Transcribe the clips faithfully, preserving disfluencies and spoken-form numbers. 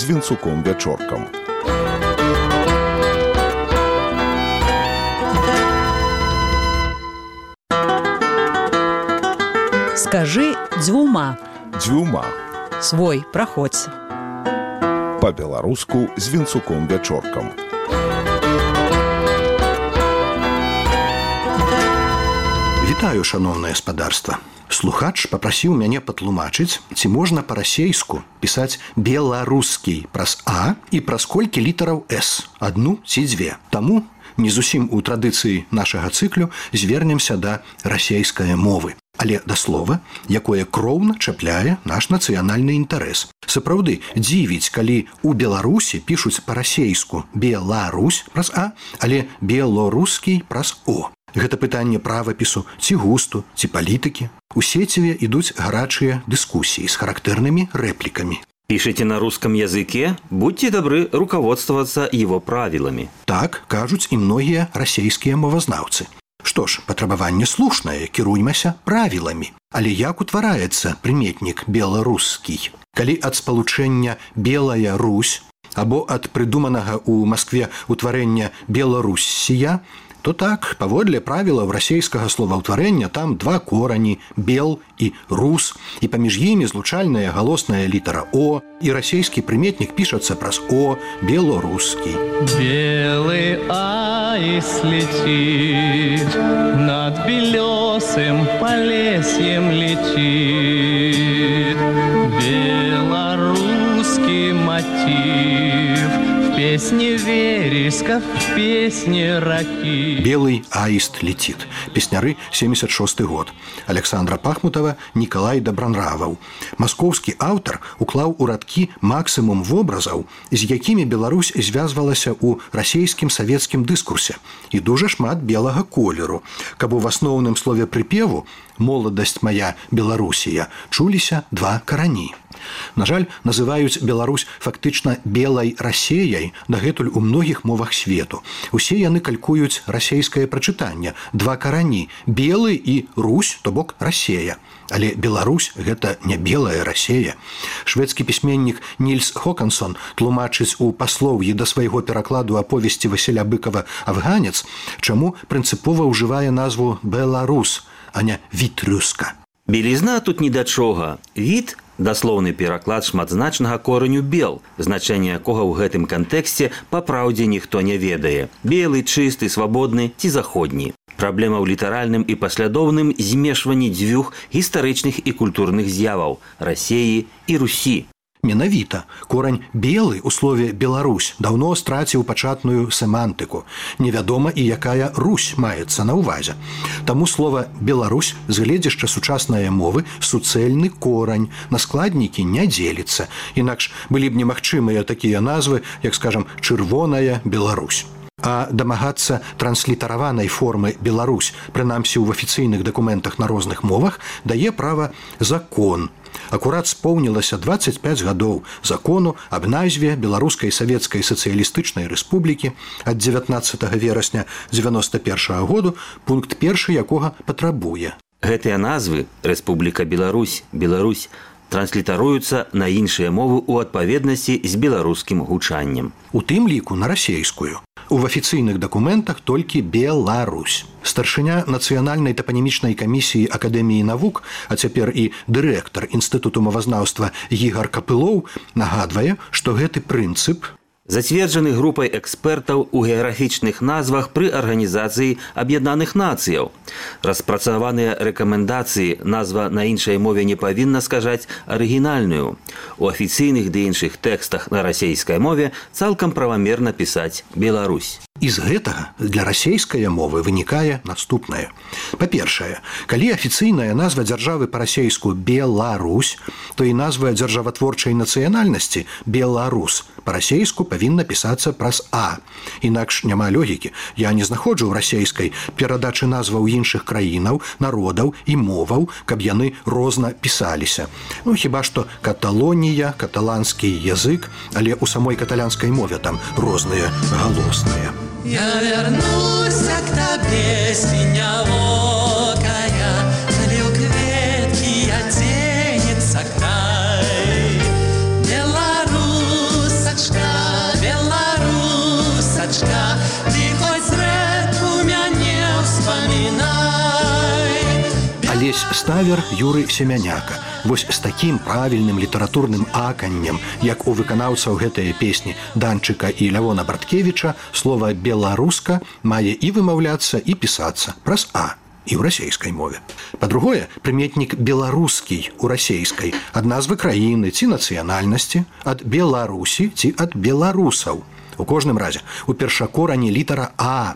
з Вінцуком Вячоркам. Скажи дзвюма. Дзвюма. Свой, праходзь. Па-беларуску з Вінцуком Вячоркам. Вітаю, шаноўнае спадарства. Слухач папрасіў мяне патлумачыць, ці можна па-расейску пісаць беларускі праз А і праз колькі літараў С, адну ці дзве. Таму не зусім у традыцыі нашага цыклю звернемся да расейскай мовы, але да слова, якое кроўна чапляе наш нацыянальны інтарэс. Сапраўды, дзівіць, калі ў Беларусі пішуць па-расейску «Беларусь» праз А, але «белорускі» праз О. Гэта пытанне правапісу, ці густу, ці палітыкі. У сеціве ідуць гарачыя дыскусіі з характэрнымі рэплікамі. Пишите на русском языке, будьте добры руководствоваться его правилами. Так кажуць і многія расейскія мовазнаўцы. Што ж, патрабаванне слушнае, кіруймася правіламі. Але як утвараецца прыметнік беларускі? Калі ад спалучэння «Белая Русь» або ад прыдуманага ў Маскве утварэння «Беларуссія», то так, паводле правілаў расейскага словаўтварэння там два корані – «бел» і «рус», і паміж імі злучальная галосная літара «о», і расейскі прыметнік пішацца праз «о» – «белорускі». Белый аист летит, над белесым полесьем летит. Белорусский мотив в песне вереска, в песне раки. «Белый аист летит». Песняры, семьдесят шосты год. Александра Пахмутова, Николай Добронраваў. Маскоўскі аўтар уклаў у радкі максімум вобразаў, з якімі Беларусь звязвалася ў расейскім савецкім дыскурсе. І дужа шмат белага колеру, каб у асноўным слове прыпеву «Моладасць моя Беларусія» чуліся два карані. На жаль, называюць Беларусь фактычна белай Расеяй дагэтуль у многіх мовах свету. Усе яны калькуюць расейскае прачытанне, два карані – белы і Русь, то бок Расея. Але Беларусь – гэта не белая Расея. Шведскі пісьменнік Нільс Хокансон тлумачыць у паслоўі да свайго перакладу аповесці Васіля Быкова «Афганец», чаму прынцыпова ўжывае назву «Беларус», а не «Вітрюска». Белізна тут ні да чога. Від – даслоўны пераклад шматзначнага кораню «бел», значэнне якога ў гэтым кантэксце па праўдзе ніхто не ведае. Белы, чысты, свабодны ці заходні. Праблема ў літаральным і паслядоўным змешванні дзвюх гістарычных і культурных з'яваў – Расеі і Русі. Менавіта, корань «белы» у слове «Беларусь» даўно страціў пачатную семантыку. Невядома і якая Русь маецца на ўвазе. Таму слова «Беларусь» з гледзяшча сучаснае мовы суцэльны корань, на складнікі не дзеліцца. Інакш былі б немагчымыя такія назвы, як, скажам, «Чырвоная Беларусь». А дамагацца транслітараванай формы «Беларусь», прынамсі ў афіцыйных дакументах на розных мовах, дае права закон. Акурат споўнілася дваццаць пяць гадоў закону аб назве Беларускай Савецкай Сацыялістычнай Рэспублікі ад дзевятнаццатага верасня дзевяноста першага году, пункт першы якога патрабуе. Гэтыя назвы «Рэспубліка Беларусь», «Беларусь» транслітаруюцца на іншыя мовы ў адпаведнасці з беларускім гучаннем. У тым ліку на расейскую. У афіцыйных дакументах толькі «Беларусь». Старшыня Нацыянальнай тапанімічнай камісіі Акадэміі навук, а цяпер і дырэктар Інстытуту мовазнаўства Ігар Капылоў нагадвае, што гэты прынцып зацверджаны групай экспертаў у геаграфічных назвах пры Арганізацыі Аб'яднаных Нацыяў. Распрацаваныя рэкамендацыі назва на іншай мове не павінна скажаць арыгінальную. У афіцыйных ды іншых тэкстах на расейскай мове цалкам правамерна пісаць «Беларусь». І з гэтага для расейскай мовы вынікае наступнае. Па-першае, калі афіцыйная назва дзяржавы па-расейску «Беларусь», то і назва дзяржаватворчай нацыянальнасці «Беларус» па-расейску павінна пісацца праз «А». Інакш няма логікі. Я не знаходжу ў расейскай перадачы назваў іншых краінаў, народаў і моваў, каб яны розна пісаліся. Ну, хіба што Каталонія, каталанскі язык, але ў самой каталянскай мове там розныя галосныя. Я вернусь к тебе, синявокая, залил кветки, оденется край. Беларусь, Авесь ставер Юры Семяняка. Вось з такім правільным літаратурным аканнем, як у выканаўцаў гэтыя песні Данчыка і Лявона Барткевіча, слова «беларуска» мае і вымаўляцца, і пісацца праз «а» і ў расейскай мове. Па-другое, прыметнік «беларускі» у расейскай ад назвы краіны ці нацыянальнасці, ад Беларусі ці ад беларусаў. У кожным разе, у першакорані літара «а»,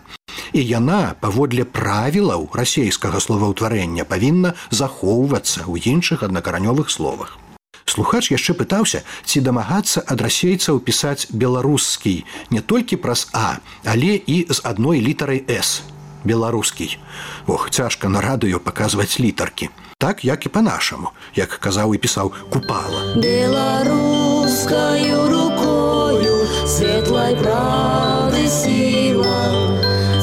і яна, паводле правілаў расейскага словаўтварэння, павінна захоўвацца ў іншых аднакаранёвых словах. Слухач яшчэ пытаўся, ці дамагацца ад расейцаў пісаць беларускі не толькі праз «а», але і з адной літарай «с» – беларускі. Ох, цяжка на радыё паказваць літаркі. Так, як і па-нашаму, як казаў і пісаў Купала. Беларускаю рукою светлай правды сіла,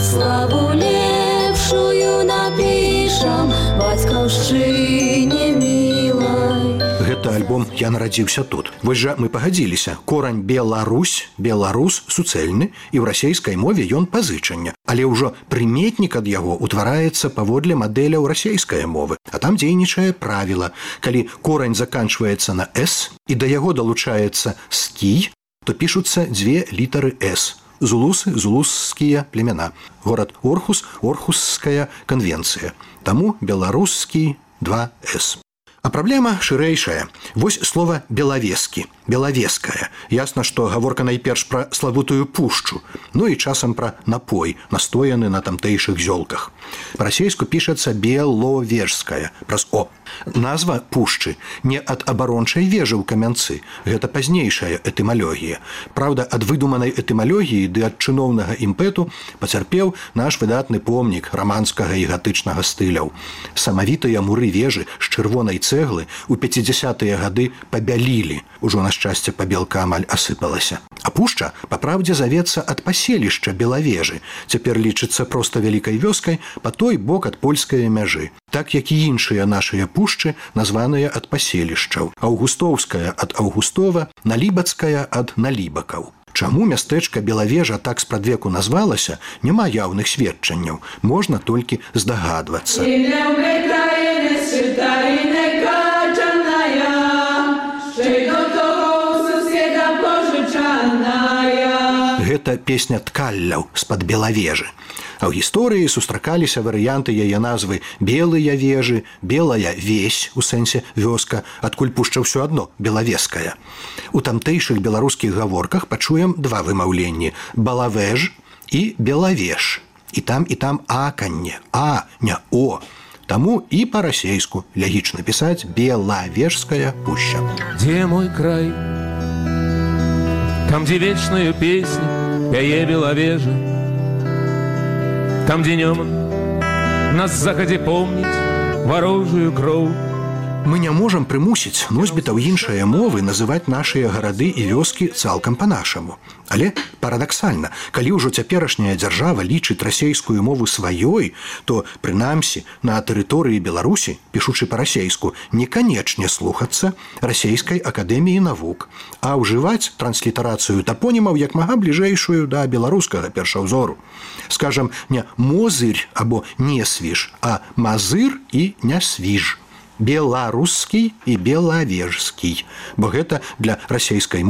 славу лепшую напішам бацькаўшчыне мілай. Гэта альбом «Я нарадзіўся тут». Вось жа мы пагадзіліся. Корань «Беларусь», «беларус» суцэльны, і ў расейскай мове ён пазычання. Але ўжо прыметнік ад яго утвараецца паводле мадэляў расейскай мовы. А там дзейнічае правіла. Калі корань заканчваецца на «с» і да яго далучаецца «скі», то пішуцца дзве літары «с». Зулусы, зулусскія племена. Горад Орхус, Орхусская конвенцыя. Таму беларускі два «с». А праблема шырэйшая. Вось слова «белавескі», «белавеская». Ясна, што гаворка найперш пра славутую пушчу, ну і часам пра напой, настояны на тамтэйшых зёлках. Па-расейску пішацца «беловежская», праз «о». Назва пушчы не ад абарончай вежы ў камянцы. Гэта пазнейшая этымалогія. Праўда, ад выдуманай этымалогіі ды ад чыноўнага імпэту пацярпеў наш выдатны помнік раманскага і гатычнага стыляў. Самавітыя муры вежы з чырвонай цэглы ў пяцідзясятыя гады пабялілі. Ужо на шчасце пабелка амаль асыпалася. А пушча, па праўдзе, завецца ад паселішча Белавежы. Цяпер лічыцца проста вялікай вёскай па той бок ад польскай мяжы. Так, як і іншыя нашыя пушчы, названыя ад паселішчаў. Аўгустоўская ад Аўгустова, Налібацкая ад Налібакаў. Чаму мястэчка Белавежа так спрадвеку назвалася, няма яўных сведчанняў. Можна толькі здагадвацца. Гэта песня ткалляў з-пад Белавежы. А ў гісторыі сустракаліся варыянты яе назвы «белыя вежы», «белая весь» у сэнсе вёска, адкуль пушча ўсё адно «белавеская». У тамтэйшых беларускіх гаворках пачуем два вымаўленні – «балавеж» і «белавеж». І там, і там аканне, а, не о. Таму і па-расейску лягічна пісаць «белавежская пуща». Где мой край? Там, где вечную песню пяе Белавежа, там, где днем нас захадзе помніць варожую кроў. Мы не можам прымусіць носьбітаў іншыя мовы называць нашыя гарады і вёскі цалкам па-нашаму. Але парадаксальна, калі ўжо цяперашняя дзяржава лічыць расейскую мову сваёй, то, прынамсі, на тэрыторыі Беларусі, пішучы па-расейску, не канечне слухацца расейскай акадэміі навук, а ўжываць транслітарацыю тапонімаў як мага бліжэйшую да беларускага першаўзору. Скажам, не «мозырь» або «несвіж», а «мазыр» і «нясвіж». Беларускі і белавежскі, бо гэта для расейскай мовы